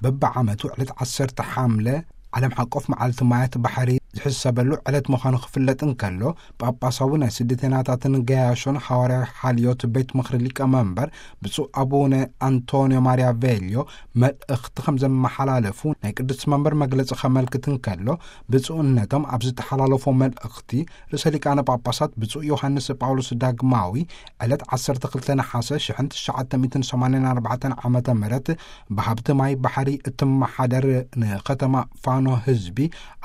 በብዓመቱ ዕለት ዓሰርተ ሓምለ ዓለም ሓቆፍ መዓልቲ ማያት ባሕሪ ዝሕሰበሉ ዕለት ምዃኑ ክፍለጥ እንከሎ፣ ጳጳሳዊ ናይ ስደተናታትን ገያሾን ሓዋርያዊ ሓልዮት ቤት ምኽሪ ሊቀመንበር ብፁዕ ኣቡነ ኣንቶንዮ ማርያ ቬልዮ መልእኽቲ ከም ዘመሓላለፉ ናይ ቅድስቲ መንበር መግለጺ ከመልክት እንከሎ፣ ብፁዕነቶም ኣብ ዝተሓላለፎ መልእኽቲ፣ ርእሰ ሊቃነ ጳጳሳት ብፁዕ ዮሃንስ ጳውሎስ ዳግማዊ ዕለት ዓሰርተ ክልተ ነሓሰ ሽሕን ትሽዓተ ሚእትን ሰማንያን ኣርባዕተን ዓመተ ምህረት ብሃብቲ ማይ ባሕሪ እትመሓደር ንከተማ ፋኖ ህዝቢ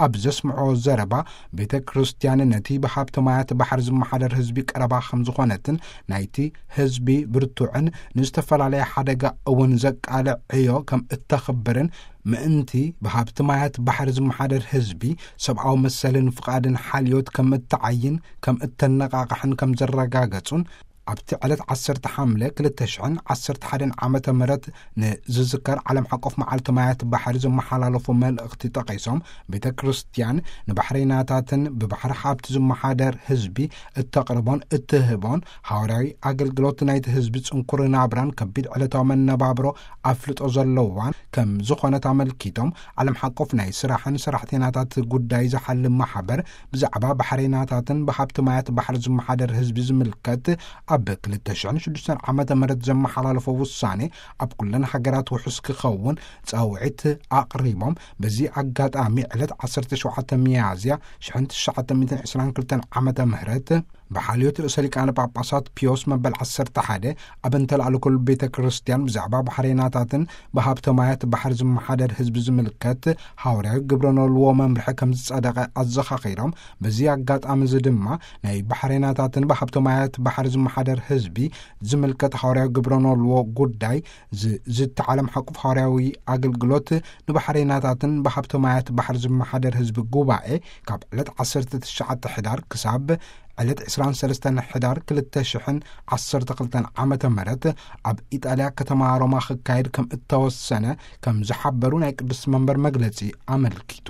ኣብ ዘስምዖ ዘረባ፣ ቤተ ክርስቲያን ነቲ ብሃብቲ ማያት ባሕሪ ዝመሓደር ህዝቢ ቀረባ ከም ዝኾነትን ናይቲ ህዝቢ ብርቱዕን ንዝተፈላለየ ሓደጋ እውን ዘቃልዕ ዕዮ ከም እተኽብርን ምእንቲ ብሃብቲ ማያት ባሕሪ ዝመሓደር ህዝቢ ሰብኣዊ መሰልን ፍቓድን ሓልዮት ከም እተዓይን ከም እተነቓቕሕን ከም ዘረጋገጹን ኣብቲ ዕለት ዓሰርተ ሓምለ ክልተ ሽሕን ዓሰርተ ሓደን ዓመተ ምህረት ንዝዝከር ዓለም ሓቆፍ መዓልቲ ማያት ባሕሪ ዘመሓላለፎ መልእኽቲ ጠቒሶም፣ ቤተ ክርስቲያን ንባሕረይናታትን ብባሕሪ ሃብቲ ዝመሓደር ህዝቢ እተቕርቦን እትህቦን ሓዋርያዊ ኣገልግሎት ናይቲ ህዝቢ ጽንኩር ናብራን ከቢድ ዕለታዊ መነባብሮ ኣፍልጦ ዘለዋን ከም ዝኾነት ኣመልኪቶም፣ ዓለም ሓቆፍ ናይ ስራሕን ሰራሕተኛታት ጉዳይ ዝሓልም ማሕበር ብዛዕባ ባሕረይናታትን ብሃብቲ ማያት ባሕሪ ዝመሓደር ህዝቢ ዝምልከት ኣብ ክልተ ሽሕን ሽዱሽተን ዓመተ ምህረት ዘመሓላለፎ ውሳኔ ኣብ ኩለን ሃገራት ውሑስ ክኸውን ጻውዒት ኣቕሪቦም፣ በዚ ኣጋጣሚ ዕለት ዓሰርተ ሸውዓተ ሚያዝያ ሽሕን ትሽዓተ ሚእትን ዕስራን ክልተን ዓመተ ምህረት ብሓልዮት ርእሰ ሊቃነ ጳጳሳት ፒዮስ መበል ዓሰርተ ሓደ ኣብ እንተለኣለኩሉ ቤተ ክርስቲያን ብዛዕባ ባሕሬናታትን ብሃብተ ማያት ባሕሪ ዝመሓደር ህዝቢ ዝምልከት ሃዋርያዊ ግብረ ኖልዎ መምርሒ ከም ዝጸደቐ ኣዘኻኺሮም፣ በዚ ኣጋጣሚ እዚ ድማ ናይ ባሕሬናታትን ብሃብተ ማያት ባሕሪ ዝመሓደር ህዝቢ ዝምልከት ሃዋርያዊ ግብረ ኖልዎ ጉዳይ ዝዝቲ ዓለም ሓቁፍ ሃዋርያዊ ኣገልግሎት ንባሕሬናታትን ብሃብተ ማያት ባሕሪ ዝመሓደር ህዝቢ ጉባኤ ካብ ዕለት ዓሰርተ ትሽዓተ ሕዳር ክሳብ ዕለት ዕስራን ሰለስተን ሕዳር ክልተ ሽሕን ዓሰርተ ክልተን ዓመተ ምህረት ኣብ ኢጣልያ ከተማ ሮማ ክካየድ ከም እተወሰነ ከም ዝሓበሩ ናይ ቅድስቲ መንበር መግለጺ ኣመልኪቱ።